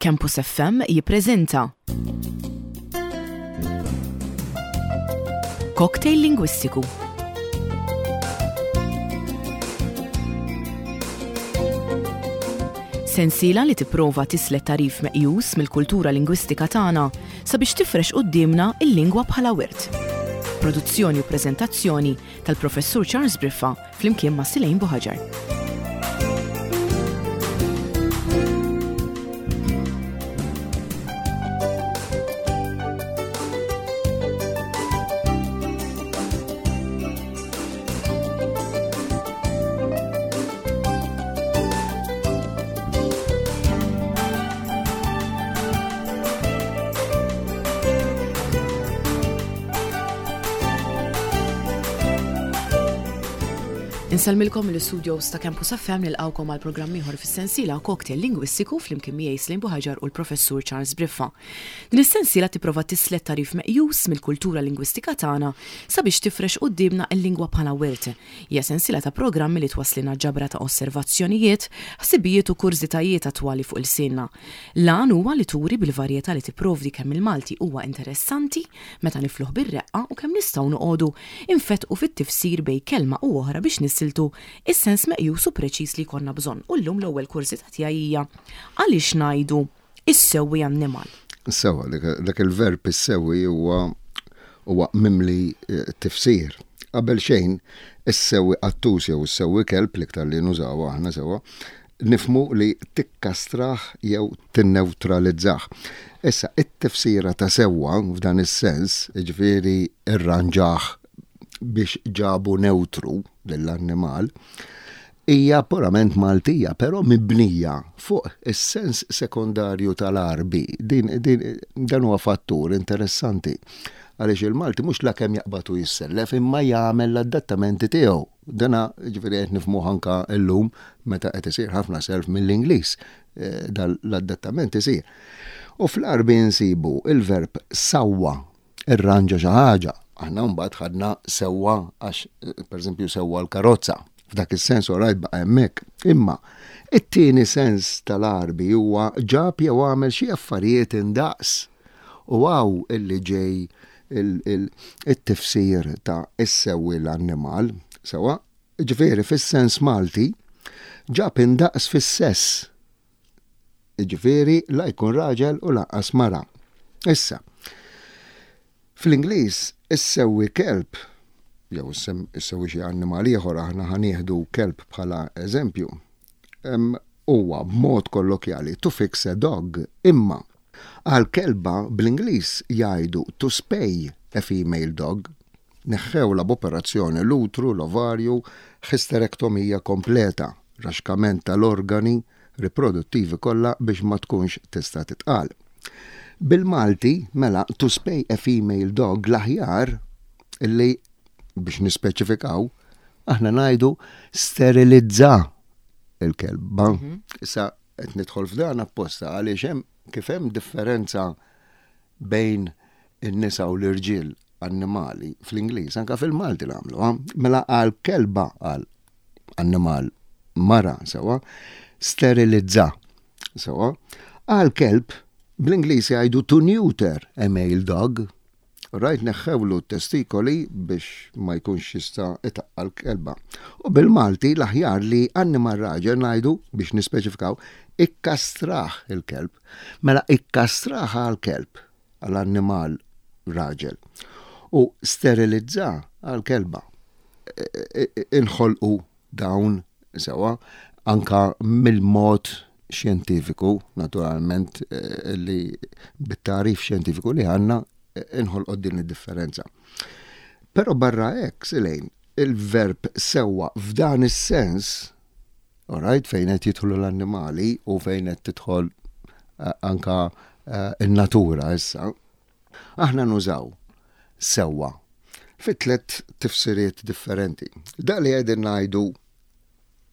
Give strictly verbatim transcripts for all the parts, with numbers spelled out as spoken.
Campus F M jippreżenta Cocktail Lingwistiku. Sensiela li tipprova tislet tagħrif meqjus mill-kultura lingwistika tagħna sabiex tifrex quddiemna il-lingwa bħala wirt. Produzzjoni u preżentazzjoni tal-Professur Charles Briffa flimkien ma' Silejn Buħaġar. Insellmilkom mill-studios ta' Campus F M, nilqgħukom għal programm ieħor fis-sensiela Cocktail Lingwistiku flimkien miegħi Slim Buħaġar u l-Professur Charles Briffa. Din is-sensiela tipprova tislet tagħrif meqjus mill-kultura lingwistika tagħna sabiex tifrex quddiemna l-lingwa bħala wirt. Hija sensiela ta' programmi li twasslilna ġabra ta' osservazzjonijiet, ħsibijiet u kurżitajiet attwali fuq ilsienna. L-għan huwa li turi bil-varjetà li tipprovdi kemm il-Malti huwa interessanti meta nifluh bir-reqqa u kemm nistgħu noqogħdu infetqu fit-tifsir bejn kelma u oħra biex nisiltu is-sens meqjus u preċiż li jkollna bżonn. U llum l-ewwel kurżità tiegħi hija: għaliex ngħidu issewwi annimal? Sewa, dak il-verb issewwi huwa huwa mimli eh, tifsir. Qabel xejn, issewwi qattus jew issewwi kelb, l-iktar li nużaw aħna sewwa, nifhmu li tikkastrah jew tinnewtralizzah. Issa, it-tifsira ta' sewwa f'dan is-sens, ġifieri irranġah biex ġabu neutru lill-annimal, hija purament Maltija, però mibnija fuq is-sens sekondarju tal-Għarbi. Din, din, dan huwa fattur interessanti. Għaliex il-Malti mhux la kemm jaqbatu jissellef, imma jagħmel l-adattamenti tiegħu. Dana ġifieri qed nifhmu anka llum meta qed isir ħafna self mill-Ingliż. Eh, dan l-adattament isir. U fl-Għarbi nsibu il-verb sawwa, irranġa xi ħaġa. Aħna mbagħad ħadna sewwa għax, eh, pereżempju, sewwa l-karozza. F'dak is-sens orajt baqa' hemmhekk. Imma it-tieni sens tal-Għarbi huwa ġab jew għamel xi affarijiet indaqs. U hawn illi ġej il-tifsir ta' issewwi l-annimal, sewa, ġifieri fis-sens Malti ġab indaqs fis-sess. Ġifieri la jkun raġel u lanqas mara. Issa, fl-Ingliż issewwi kelb jew issewwi xi annimal ieħor, aħna ħa nieħdu kelb bħala eżempju. Huwa b'mod kollokjali to fix a dog, imma għal kelba bl-Ingliż jgħidu to spay a female dog. Neħħewla b'operazzjoni l-utru, l-ovarju, isterektomija kompleta, raxkament tal-organi riproduttivi kollha biex ma tkunx tista' titqal. Bil-Malti, mela, to spay a female dog, l-aħjar illi biex nispeċifikaw, aħna ngħidu sterilizza il-kelba. Mhm. Issa qed nidħol f'dan apposta għaliex hemm kif hemm differenza bejn in-nisa u l-irġiel annimali fl-Ingliż, anka fil-Malti nagħmlu. Mela għal kelba, għal annimal mara, sewa, sterilizza. Sewa, għal kelb bl-Ingliż jgħidu to neuter a male dog. Rajt, neħħewlu testikoli biex ma jkunx jista' itaqqal kelba. U bil-Malti l-aħjar li annimal raġel ngħidu, biex nispeċifikaw, ikkastrah il-kelb. Mela ikkastrah għal kelb, għal-annimal raġel. U sterilizza għal kelba. Inħolqu dawn sewa anka mill-mod xjentifiku, naturalment, eh, li bit-tagħrif xjentifiku li għandna inħolqot din id-differenza. Però barra hekk, Silejn, il-verb sewwa f'dan is-sens, alright, fejn qed jidħlu l-annimali u fejn qed tidħol uh, anka uh, in-natura issa, aħna nużaw sewwa fi tliet tifsiriet differenti. Da li qegħdin ngħidu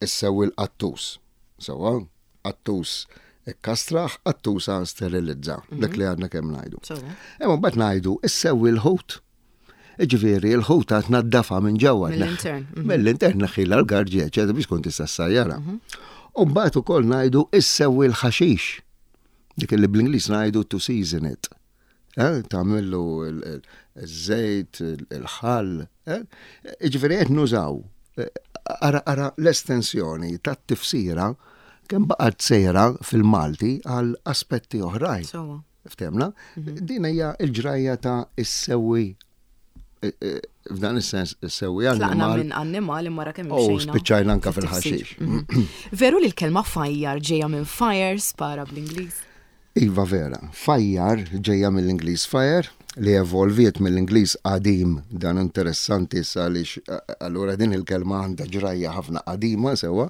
issewwi l-qattus. Sewwa, qattus ikkastrah, qattusa sterilizza, dak li għadna kemm ngħidu. Imma mbagħad ngħidu issewwi l-ħut. Ġifieri l-ħuta tnaddafa minn ġewwa. Mill-intern. Mhm. Mill-intern neħħila l-garġi, eċetera, biex tkun tista' ssajjarha. Mhm. U mbagħad ukoll ngħidu issewwi l-ħaxix. Dik li bl-Ingliż ngħidu to season it. Eh, tagħmillu il-żejt, il-ħall. Eh? Ġifieri qed nużaw. Eh, ara, ara l-estensjoni tat-tifsira kemm baqgħet sejra fil-Malti għal aspetti oħrajn. Sewwa. Ftehmna? Din hija l-ġrajja ta' issewwi, f'dan is-sens issewwi Tlaqna annimal. minn annimal imma ra kemm U imxejna spiċċajna anka fit-tifsir. fil-ħaxix. Mhm. Veru li l-kelma fajjar ġejja minn fire, spara bl-Ingliż? Iva, vera, fajjar ġejja mill-Ingliż fire, li evolviet mill-Ingliż qadim. Dan interessanti issa għaliex allura din il-kelma għandha ġrajja ħafna qadima, sewwa.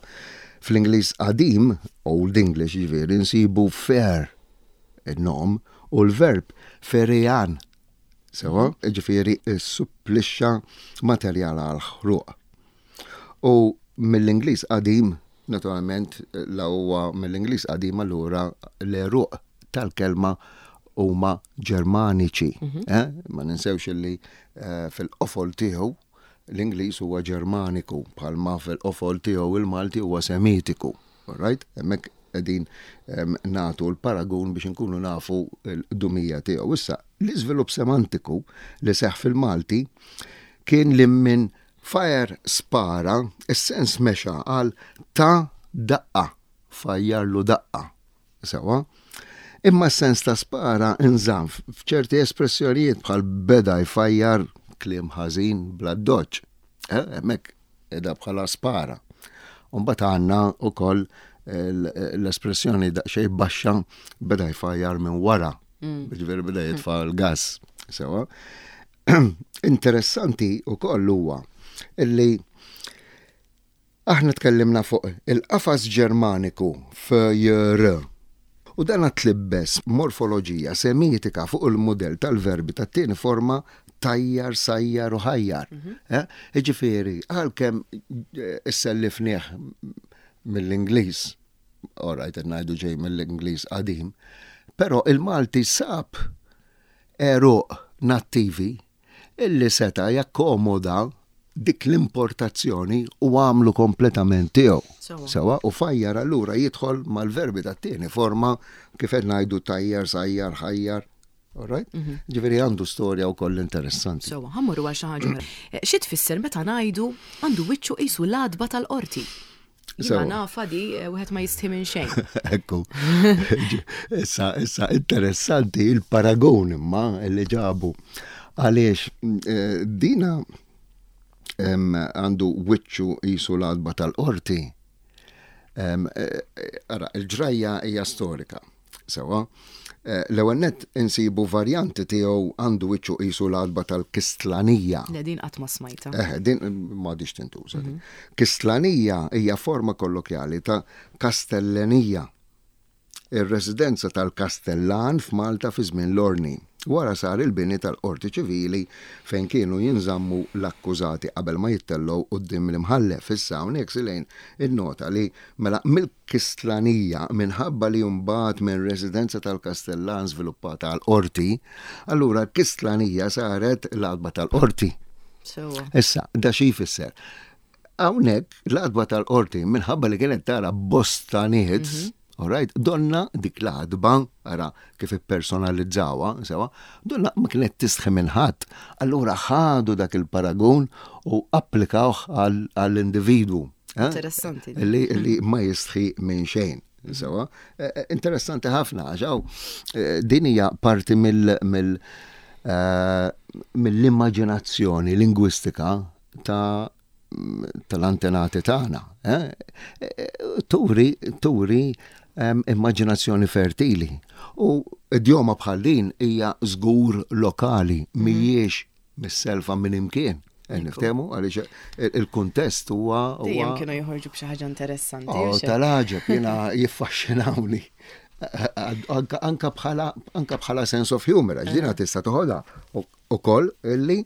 Fl-Ingliż qadim, Old English ġifieri, nsibu fair, il-nom, u l-verb ferian. Sewwa, ġifieri supplixxa materjal għal ħruq. U mill-Ingliż qadim, naturalment, la huwa mill-Ingliż qadim, allura l-għeruq tal-kelma huma Ġermaniċi. Eh? Ma ninsewx li eh, fil-qofol tiegħu l-Ingliż huwa Ġermaniku, bħalma fil-qofol tiegħu il-Malti huwa Semitiku. Alright? Hemmhekk qegħdin em, nagħtu l-paragun biex inkunu nafu l-qdumija tiegħu. Issa, l-iżvilupp semantiku li seħ fil-Malti kien li minn fire, spara, is-sens mexa għal ta' daqqa, fajjarlu daqqa. Sewwa? Imma s-sens ta' spara nżamm f'ċerti espressjonijiet bħal beda jfajjar kliem ħażin bla doċ. Eh, hemmhekk edha bħala spara. Umbagħad għandna ukoll l-espressjoni daqsxejn baxxa, beda jfajjar minn wara. Ġifieri beda jitfa' l-gas. Sewwa. Interessanti ukoll huwa illi aħna tkellimna fuq il-qafas Ġermaniku F J R. U dan tlibbes morfoloġija semitika fuq il-modell tal-verbi tat-tieni forma tajjar, sajjar u ħajjar. Eh? Ġifieri, għalkemm eh, issellifnieh mill-Ingliż, alright, ngħidu ġej mill-Ingliż qadim, però il-Malti sab għeruq nattivi illi seta jakkomoda dik l-importazzjoni u għamlu kompletament tiegħu. Sewwa. Sewwa, u fajjar allura jidħol mal-verbi tat-tieni forma kif qed ngħidu tajjar, sajjar, ħajjar. Alright? Ġifieri għandu storja wkoll interessanti. Sewwa, ħa mmorru għal xi ħaġa oħra. Eh, Xi tfisser meta ngħidu għandu wiċċu qisu l-għatba tal-qorti? Jiena Sewwa. nafa di, eh, wieħed ma jistħi minn xejn. Ekku. Issa, issa, interessanti il-paragon imma li ġabu. Għaliex, eh, dina em, għandu wiċċu qisu l-għatba tal-qorti. Em, eh, eh, Ara, il-ġrajja hija storika. Sewwa, Eh, l-ewwel nett insibu varjanti tiegħu għandu wiċċu qisu l-għatba tal-Kistlanija. Le, din qatt ma smajta. Eh, din m'għadix tintuża. din. Kistlanija hija forma kollokjali ta' Kastellenija, ir-residenza tal-Kastellan f'Malta fi żmien l-Ordni. Wara sar il-bini tal-Qorti Ċivili fejn kienu jinżammu l-akkużati qabel ma jittellgħu quddiem l-imħallef. Issa hawnhekk silejn il-nota li mela mill-Kistlanija, minħabba li mbagħad minn residenza tal-Kastellan żviluppata għal qorti, allura Kistlanija saret l-għatba tal-qorti. Sewwa. Issa, da xi jfisser? Hawnhekk l-għatba tal-qorti, minħabba li kienet tara bosta nies, alright, donna dik l-għatba, ara kif ippersonalizzawha, sewwa, donna ma kienet tistħi minn ħadd. Allura ħadu dak il-paragun u applikawh għall- għall-individwu. Eh? Interessanti. Li, li ma jistħi minn xejn. Sewwa, Eh, eh, interessanti ħafna, għax hawn, eh, din hija parti mill, mill, eh, mill-immaġinazzjoni lingwistika ta' tal-antenati tagħna. Eh? Eh, Turi, turi em, immaġinazzjoni fertili. U idjoma bħal din hija żgur lokali, mhijiex mis-selfa minn imkien. Eh, Niftehmu għaliex il- il-kuntest huwa Dejjem huwa kienu joħorġu b'xi ħaġa interessanti. Oh, hux hekk? tal-għaġeb, jiena jiffaxxinawni. Anka anka bħala anka bħala sense of humor, għax dina tista' toħodha ukoll illi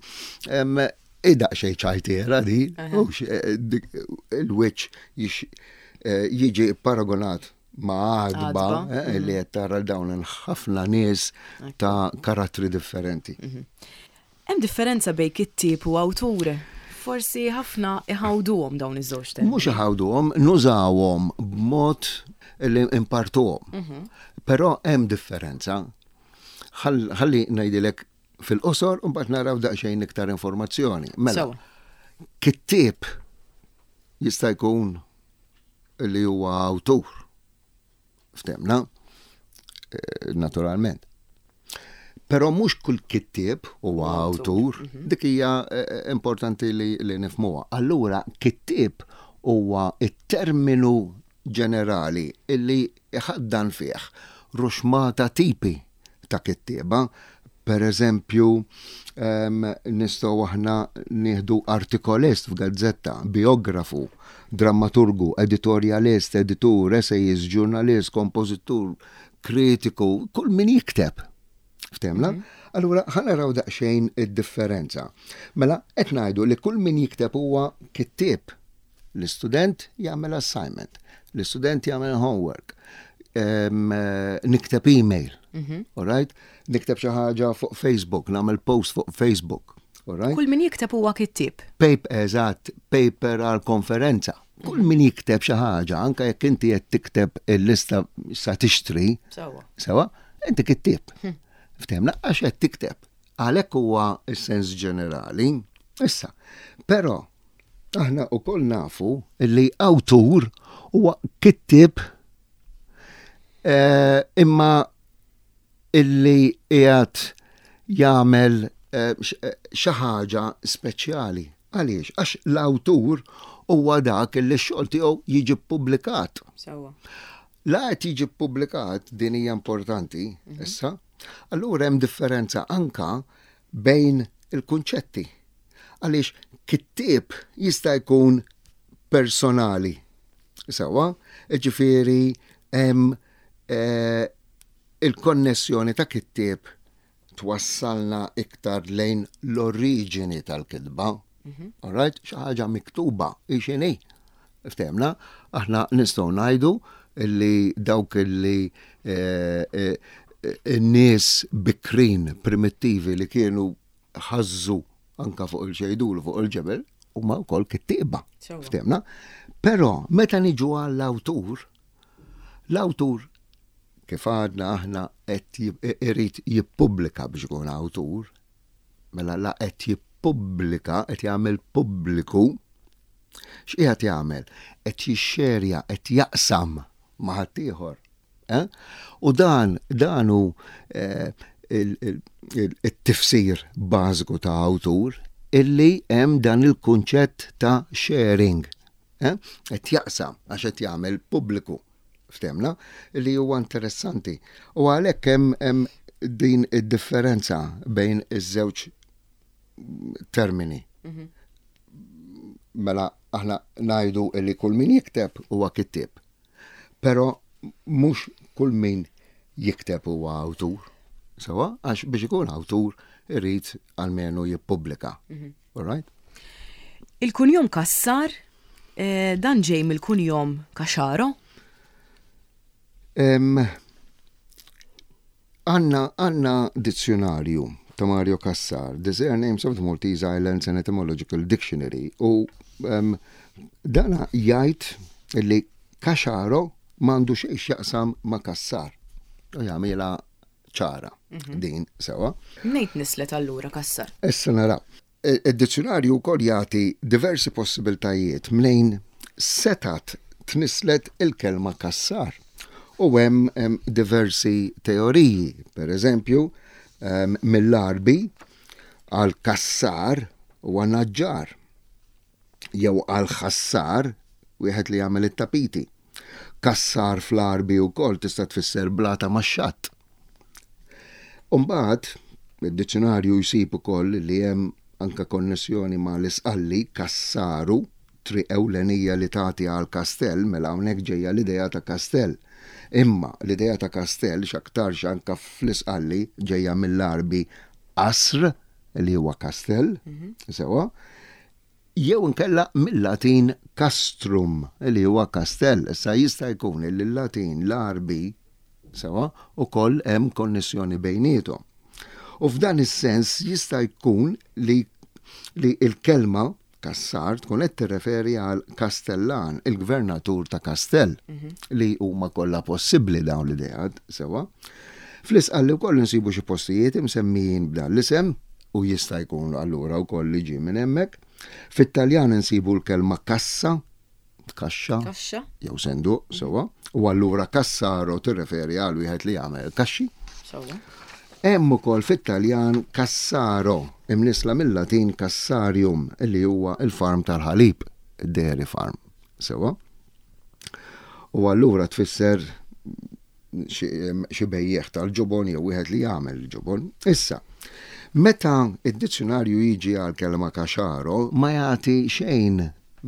em, id-daqsxejn ċajtiera di, hux, eh, dik- il-wiċċ jix- eh, jiġi paragonat ma' għadba Għadba, eh, li qed tara dawn ħafna nies ta' karattri differenti. Hemm differenza bejn kittieb u awtur. Forsi ħafna iħawduhom dawn iż-żewġ termini. Mhux iħawduhom, nużawhom b'mod li impartuhom. Mhm. Però hemm differenza. Ħalli ngħidilek fil-qosor u mbagħad naraw daqsxejn iktar informazzjoni. Mela, kittieb jista' jkun li huwa awtur. Ftehmna, eh, naturalment. Però mhux kull kittieb huwa awtur, mhm. dik hija eh, eh, importanti li, li nifhmuha. Allura kittieb huwa it-terminu ġenerali illi iħaddan fih ruxmata tipi ta' kittieba. Per eżempju, um, nistgħu aħna nieħdu artikolist f'gazzetta, biografu, drammaturgu, editorialist, editur, essayist, ġurnalist, kompożitur, kritiku, kull min jikteb. Ftehmna? Mm -hmm. Allura, ħa naraw daqsxejn id-differenza. Mela, qed ngħidu li kull min jikteb huwa kittieb. L-istudent jagħmel assignment, l-istudent jagħmel homework, um, nikteb email, mm -hmm. all right? Nikteb xi ħaġa fuq Facebook, nagħmel post fuq Facebook. All right? Kull min jikteb huwa kittieb. Paper, eżatt, paper għal konferenza. Kull min jikteb xi ħaġa, anke jekk inti qed tikteb il-lista sa tixtri, Sewwa. Sewwa, inti kittieb. Hm. Ftehmna, għax qed tikteb. Għalhekk huwa s-sens ġenerali. Issa, però aħna wkoll nafu li awtur huwa kittieb eh, imma illi qiegħed jagħmel eh, eh, xi ħaġa speċjali. Għaliex? Għax l-awtur huwa dak li x-xogħol tiegħu jiġi ppubblikat. Sewwa. La qed jiġi ppubblikat, din hija importanti, mhm. issa, allura hemm differenza anka bejn il-kunċetti. Għaliex kittieb jista' jkun personali. Sewwa, ġifieri hemm eh, il-konnessjoni ta' kittieb twassalna iktar lejn l-oriġini tal-kitba. Mhm. All right? Xi ħaġa miktuba, x'inhi. Ftehmna, aħna nistgħu ngħidu li dawk li eh, eh, n-nies bikrin primittivi li kienu ħażżu anka fuq il-xejdulu fuq il-ġebel huma wkoll kittieba. Ftehmna? Però meta niġu għall-awtur, l-awtur kif għadna aħna qed irid jippubblika biex ikun awtur, mela la qed jippubblika, qed jagħmel pubbliku, x'qiegħed jagħmel? Qed jixxerja, qed jaqsam ma' ħaddieħor. Eh? U dan dan hu eh, il-tifsir bażiku ta' awtur illi hemm dan il-kunċett ta' sharing. Eh? Qed jaqsam għax qed jagħmel pubbliku. Ftehmna li huwa interessanti. U għalhekk hemm din id-differenza bejn iż-żewġ termini. Mhm. Mela aħna ngħidu li kull min jikteb huwa kittieb. Però mhux kull min jikteb huwa awtur. Sewwa, għax biex ikun awtur irid almenu jippubblika. Mhm. All right? Il-kunjom Kassar, eh, dan ġej mill-kunjom Caxaro? Għandna għandna dizzjonarju ta' Mario Cassar, The Surnames of the Maltese Islands and Etymological Dictionary, u um, dana jgħid li Caxaro m'għandu xejn x'jaqsam ma' Cassar. U jagħmilha ċara mhm. din sewwa. Mnejn tnisslet allura Cassar? Issa naraw. Id-dizzjonarju wkoll jagħti diversi possibiltajiet mnejn setat tnisslet il-kelma Cassar. U hemm diversi teoriji, per eżempju, mill-Għarbi għal kassar huwa naġġar jew għal ħassar wieħed li jagħmel it-tapiti. Kassar fl-Għarbi wkoll tista' tfisser blata max-xatt. Umbagħad, id-dizzjonarju jsib ukoll li hemm anke konnessjoni ma' l-Isqalli, kassaru, triq ewlenija li tagħti għal kastell, mela hawnhekk ġejja l-idea ta' kastell. Imma l-idea ta' kastell x'aktarx anke fl-Isqalli ġejja mill-Għarbi qasr li huwa kastell, sewwa, jew inkella mill-Latin castrum li huwa kastell. Issa jista' jkun li l-Latin, l-Għarbi, sewwa, ukoll hemm konnessjoni bejniethom. U f'dan is-sens jista' jkun li li l-kelma Kassar tkun qed tirreferi għal Kastellan, il-gvernatur ta' Kastell, li huma kollha possibbli dawn l-ideat, sewa. Fl-Isqalli wkoll insibu xi postijiet imsemmijin b'dan l-isem u jista' jkun allura wkoll li ġie minn hemmhekk. Fit-Taljan insibu l-kelma kassa, kaxxa, Kaxxa. jew senduq, sewa, u allura kassaro tirreferi għal wieħed li jagħmel kaxxi. Sewa. Hemm ukoll fit-Taljan cassaro, imnisla mill-Latin cassarium, illi huwa il-farm tal-ħalib, dairy farm. Sewa. U allura tfisser xi xi bejjeħ tal-ġobon jew wieħed li jagħmel il-ġobon. Issa, meta id-dizzjonarju jiġi għal kelma kaxaro, ma jagħti xejn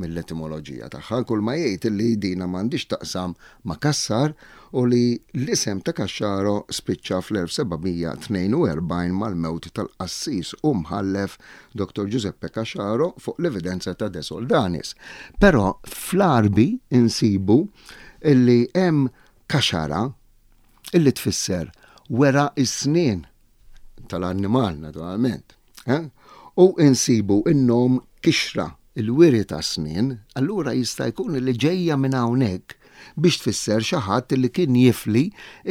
mill-etimoloġija tagħha, kull ma jgħid li dina m'għandix taqsam ma' kassar u li l-isem ta' Kaxxaro spiċċa fl-elf seba' mija tnejn u erbgħin mal-mewt tal-qassis u mħallef Doktor Giuseppe Caxaro fuq l-evidenza ta' De Soldanis. Però fl-Arbi insibu illi hemm kaxara illi tfisser wera is-snien tal-annimal naturalment. Eh? U insibu in-nom kixra, il-wiri ta' snien, allura jista' jkun li ġejja minn hawnhekk biex tfisser xi ħadd li kien jifli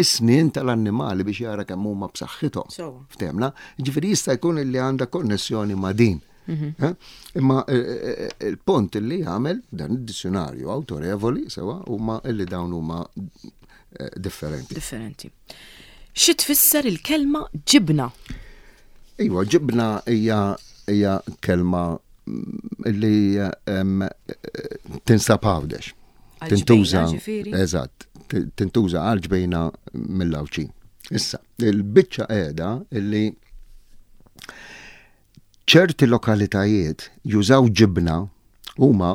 is-snien tal-annimali biex jara kemm huma b'saħħithom. Sewa. Ftemna, ġifieri jista' jkun li għandha konnessjoni ma' din. Eh? Imma eh, eh, il-punt li jagħmel dan id-dizzjonarju awtorevoli sewa huma illi dawn huma eh, differenti. Differenti. Xi tfisser il-kelma ġibna? Iwa, ġibna hija hija kelma mm, li em, eh, tinsab Għawdex. Għal Tintuża, ġbejna, ġifieri? Eżatt, t- tintuża għal ġbejna mill-Għawdxin. Issa, il-biċċa qiegħda illi ċerti lokalitajiet jużaw ġibna huma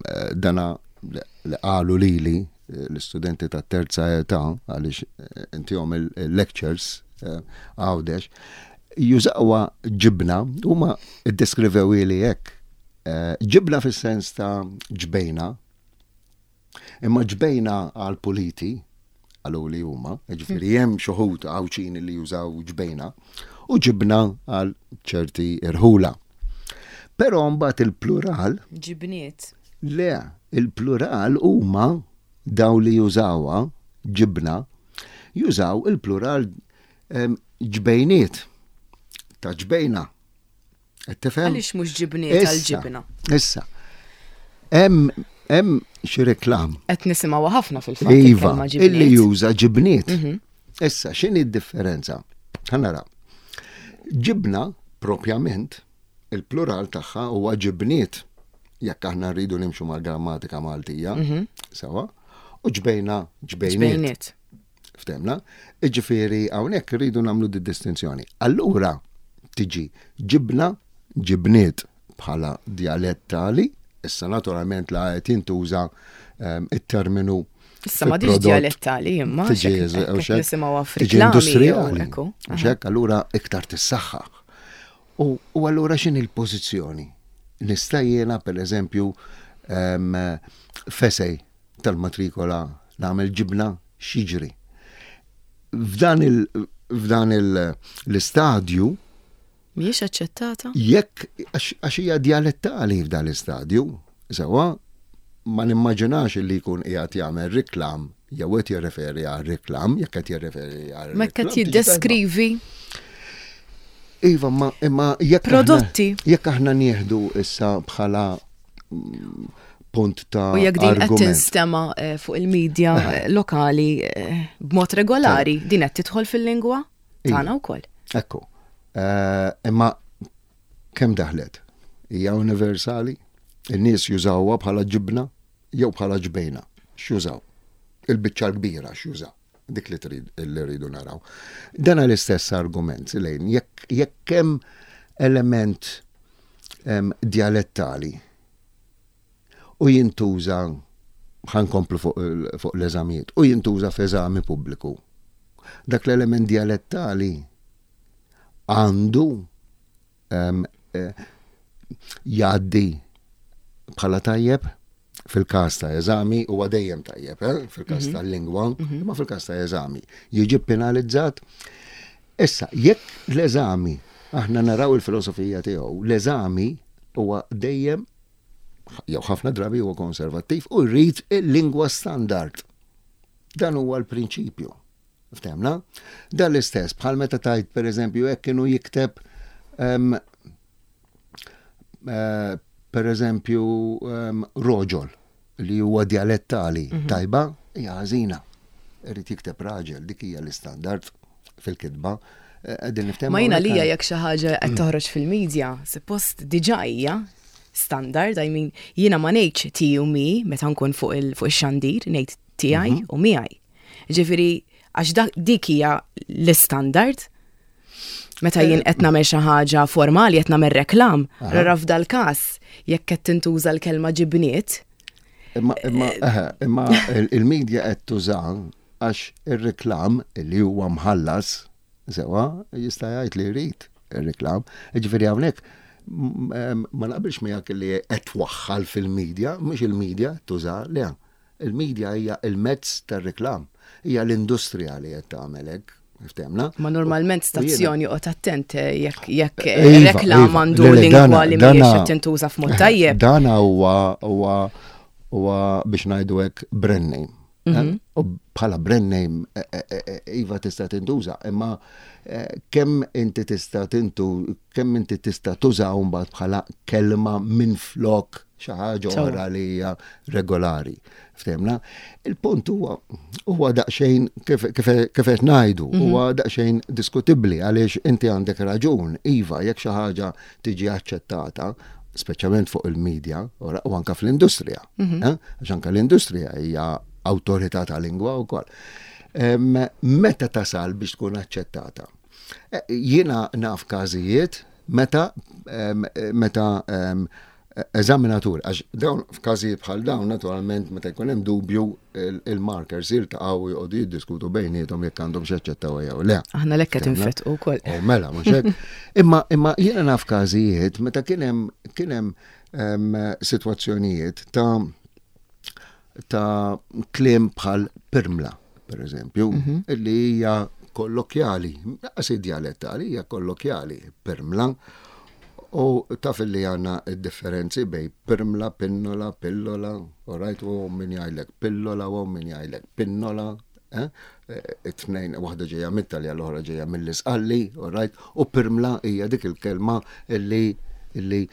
eh, dana li li qalu lili eh, l-istudenti ta' terza età għaliex eh, intihom il-lectures eh, Għawdex jużawha ġibna, huma iddeskrivew li hekk. Eh, Ġibna fis-sens ta' ġbejna, imma ġbejna għal puliti, għalu li huma, ġifieri hemm xi wħud Għawdxin li jużaw ġbejna, u ġibna għal ċerti irħula. Però mbagħad il-plural, Ġibniet. Le, il-plural huma daw li jużawha ġibna, jużaw il-plural em, ġbejniet ta' ġbejna. Qed tifhem? Għaliex mhux ġibniet għal Issa, ġibna? Issa, hemm hemm xi reklam Qed nisimgħu ħafna fil-fatt Iva, il-kelma illi ġibniet. juża ġibniet. Issa, x'inhi d-differenza? Ħa nara. Ġibna, propjament, il-plural tagħha huwa ġibniet, jekk aħna rridu nimxu mal-grammatika Maltija, sewa, u ġbejna ġbejniet. Ġbejniet. Ftemna? Iġifieri hawnhekk rridu nagħmlu di distinzjoni. Allura tiġi ġibna, ġibniet bħala dialettali, issa naturalment la qed jintuża ehm, it-terminu Issa ma diġ fil-prodott dialettali imma tiġi xek- u hekk xek, nisimgħuha tiġi f'riklami jew industrijali. ekku. U xek, allura iktar tissaħħaħ. U, u allura x'inhi l-pożizzjoni? Nista' jiena per eżempju em, f'essay tal-matrikola nagħmel ġibna, x'jiġri? F'dan il f'dan il l-istadju Mhijiex aċċettata? Jekk għax għax hija dialettali f'dan l-istadju, sewa, ma nimmaġinax li jkun qiegħed jagħmel reklam jew qed jirreferi għal reklam, jekk qed jirreferi għal Ma qed reklam, tiġi tajba. jiddeskrivi Iva, ma imma jekk aħna- Prodotti. Jekk aħna nieħdu issa bħala mm, punt ta' u jekk din qed argument. tinstema eh, fuq il-medja eh, lokali eh, b'mod regolari, din qed tidħol fil-lingwa tagħna wkoll. Ekku. Eh, Imma kemm daħlet? Hija universali? In-nies jużawha bħala ġibna jew bħala ġbejna? X'jużaw? Il-biċċa l-kbira x'jużaw? Dik li trid li rridu naraw. Dan l-istess argument lejn jekk jekk hemm element em, dialettali u jintuża, ħa nkomplu fuq il- fuq l-eżamijiet, u jintuża f'eżami pubbliku. Dak l-element dialettali għandu em, eh, jgħaddi bħala tajjeb fil-każ ta' eżami huwa dejjem tajjeb, eh? Fil-każ mm tal-lingwa, imma fil-każ ta' eżami jiġi penalizzat. Issa, jekk l-eżami, aħna naraw il-filosofija tiegħu, l-eżami huwa dejjem jew ħafna drabi huwa konservattiv u jrid il-lingwa standard. Dan huwa l-prinċipju. Ftehmna? Dan l-istess, bħal meta tajt, per eżempju, jekk kienu jikteb um, uh, per eżempju um, roġol li huwa dialettali mm -hmm. tajba, hija ħażina. Irid jikteb raġel, dik hija l-istandard fil-kitba. Eh, Ma jiena lija jekk xi ħaġa qed toħroġ fil-medja, suppost diġà hija standard, I mean, jiena ma ngħidx ti u mi meta nkun fuq il-xandir, ngħid tiegħi mhm. u miegħi. Ġifieri għax dik hija l-istandard. Meta jien qed nagħmel xi ħaġa formali, qed nagħmel reklam, rara f'dal-każ jekk qed tintuża l-kelma ġibniet. Imma imma imma il-medja qed tuża għax ir-reklam li huwa mħallas sewa jista' jgħid li jrid ir-reklam. Ġifieri hawnhekk ma naqbilx miegħek li qed twaħħal fil-medja, mhux il-medja tuża, le. Il-medja hija il-mezz tar-reklam, hija l-industrija li qed tagħmel hekk. Ftehmna? Ma normalment stazzjoni joqgħod attent eh, jekk jekk iva, reklam iva. għandu lingwa li mhijiex qed tintuża f'mod tajjeb. Dana huwa huwa huwa biex ngħidu hekk brand name. Eh? Mhm. U bħala brand name eh, iva tista' tintuża, imma kemm inti tista' tintu kemm inti tista' tuża mbagħad bħala kelma minn flok xi ħaġa oħra li hija regolari. Ftehmna? Il-punt huwa huwa daqsxejn kif qed ngħidu, mhm. huwa daqsxejn diskutibbli għaliex inti għandek raġun, iva, jekk xi ħaġa tiġi aċċettata, speċjalment fuq il-medja u anka fl-industrija. Mhm. Eh? Għax anka l-industrija hija awtorità ta' lingwa wkoll. Meta tasal biex tkun aċċettata? Eh, jiena naf każijiet meta meta eżaminatur, għax dawn f'każijiet bħal dawn naturalment meta jkun hemm dubju il-markers jiltaqgħu joqogħdu jiddiskutu bejniethom jekk għandhom x'jaċċettaw jew le. Aħna lekka tinfetqu wkoll. Oh, mela, mhux hekk. Imma imma jiena naf każijiet meta kien hemm kien hemm sitwazzjonijiet ta' ta' kliem bħal pirmla, per eżempju, mhm. illi hija kollokjali, lanqas dialettali, hija kollokjali, pirmla. U taf li għandna differenzi bejn pirmla, pinnola, pillola, u rajt u min jgħidlek pillola u min jgħidlek pinnola, eh? It-tnejn, waħda ġejja mit-Talja, l-oħra ġejja mill-Isqalli, u rajt, u pirmla hija dik il-kelma illi illi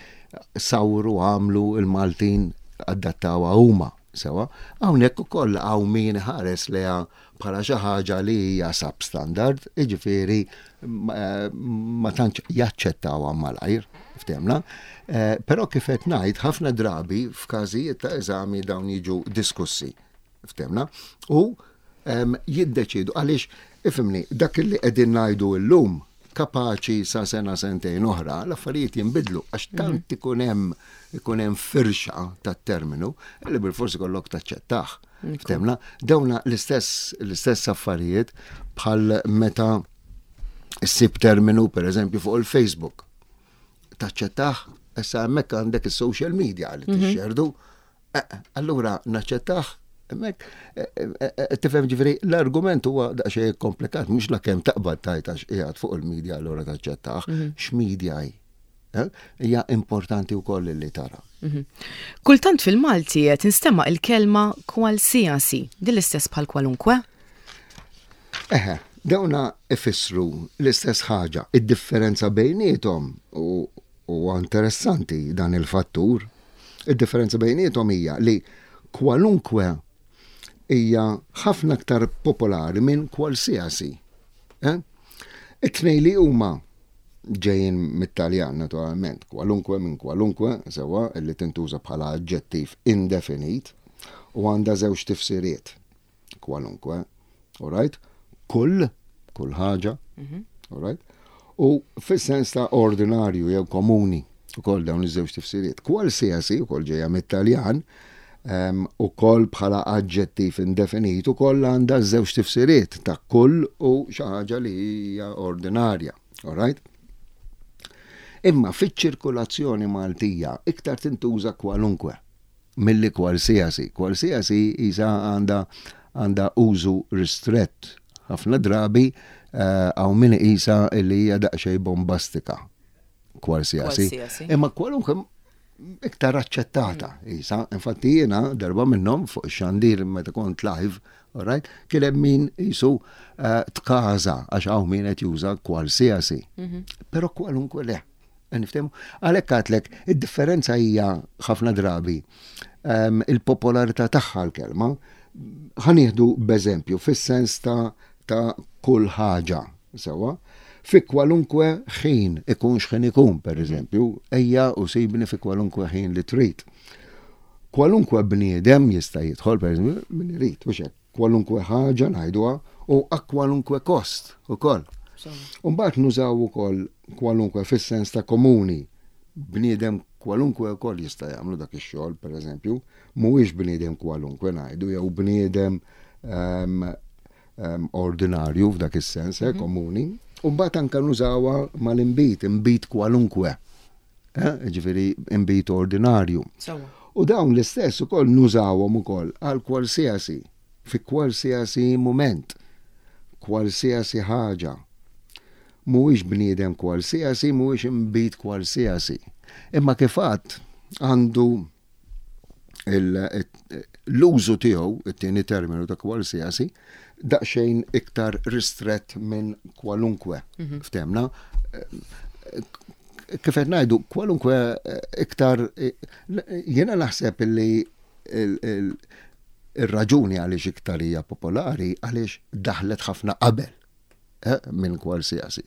sawru għamlu il-Maltin adattawha huma. Sewa, hawnhekk ukoll hawn min ħares leha bħala xi ħaġa li hija substandard, jiġifieri ma tantx jaċċettawha malajr, ftehmna. Eh, però kif qed ngħid ħafna drabi f'każijiet ta' eżami dawn jiġu diskussi, ftehmna, u jiddeċidu għaliex ifhimni dak li qegħdin ngħidu llum kapaċi sa sena sentejn oħra l-affarijiet jinbidlu għax mhm. tant ikun hemm ikun hemm firxa tat-terminu li bil-forsi kollok taċċettah. Ftehmna, dawna l-istess l-istess affarijiet bħal meta ssib terminu per eżempju fuq il-Facebook. Taċċettah, issa hemmhekk għandek is-social media li mhm. tixxerdu. Eh, allura naċċettah hemmhekk eh, eh, tifhem ġifieri l-argument huwa daqsxejn komplikat, mhux la kemm taqbad tajt għax qiegħed fuq il-media allura taċċettah, mhm. x'media hi. Hija importanti wkoll li tara. Mhm. Kultant fil-Malti qed tinstema' il-kelma qualsiasi, din l-istess bħal kwalunkwe? Eħe, dawna ifissru l-istess ħaġa. Id-differenza bejniethom u huwa interessanti dan il-fattur. Id-differenza bejniethom hija li kwalunkwe hija ħafna aktar popolari minn qualsiasi. Eh? It-tnejn li huma ġejjin mit-Taljan naturalment, kwalunkwe minn kwalunkwe, sewa li tintuża bħala aġġettiv indefinit u għandha żewġ tifsiriet. Kwalunkwe, all right? Kull, kull ħaġa, mhm. all right? U fis-sens ta' ordinarju jew komuni, ukoll dawn iż-żewġ tifsiriet. Qualsiasi, ukoll ġejja mit-Taljan, ukoll bħala aġġettiv indefinit, ukoll għandha żewġ tifsiriet ta' kull u xi ħaġa li hija ordinarja. All right? Imma fiċ-ċirkulazzjoni Maltija iktar tintuża kwalunkwe milli qualsiasi. Qualsiasi isa għandha għandha użu ristrett. Ħafna drabi eh, hawn min isa li hija daqsxejn bombastika. Qualsiasi. Imma kwalunkwe Iktar aċċettata, isa. Infatti jiena darba minnhom fuq ix-xandir meta kont live, alright, kien hemm min jisu eh, tkaża għax hawn min qed juża qualsiasi. Mhm. Però kwalunkwe le. Niftehmu? Għalhekk għedtlek, id-differenza hija ħafna drabi ehm, il-popolarità tagħha l-kelma. Ħa nieħdu b'eżempju fis-sens ta' ta' kull ħaġa, sewwa, fi kwalunkwe ħin, ikun x'ħin ikun, per eżempju, ejja u sibni fi kwalunkwe ħin li trid. Kwalunkwe bniedem jista' jidħol, per eżempju, min irid, u hekk, kwalunkwe ħaġa ngħiduha u a kwalunkwe kost ukoll. Umbagħad nużaw ukoll kwalunkwe fis-sens ta' komuni. Bniedem kwalunkwe ukoll jista' jagħmlu dak ix-xogħol, per eżempju, mhuwiex bniedem kwalunkwe ngħidu jew bniedem um, um, ordinarju f'dak is-sens, eh, mhm. komuni. U mbagħad anke nużawha mal-inbid, inbid kwalunkwe. Eh, ġifieri inbid ordinarju. U dawn l-istess ukoll nużawhom ukoll għal qualsiasi, fi qualsiasi moment, qualsiasi ħaġa. Mhuwiex bniedem qualsiasi, mhuwiex inbid qualsiasi. Imma kif għedt għandu l-użu tiegħu, it-tieni terminu ta' qualsiasi, daqsxejn iktar ristret minn kwalunkwe. Mhm. Ftehmna, kif qed ngħidu, kwalunkwe iktar, jiena naħseb li il-raġuni għaliex iktar hija popolari għaliex daħlet ħafna qabel eh, minn qualsiasi.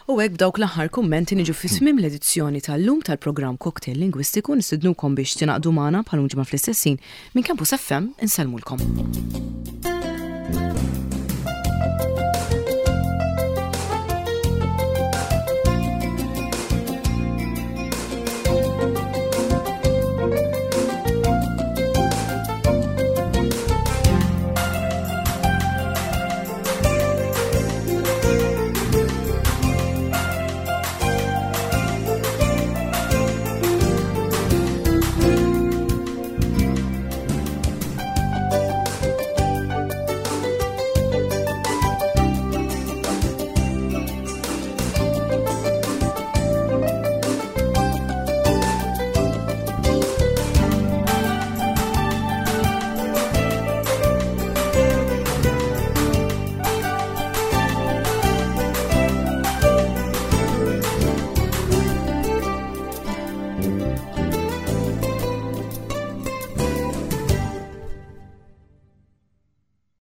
U hekk b'dawk l-aħħar kummenti niġu fi tmiem l-edizzjoni tal-lum tal-programm Cocktail Lingwistiku. Nistidnukom biex tingħaqdu magħna bħal ġimgħa fl-istess ħin. Minn Campus F M insellmulkom.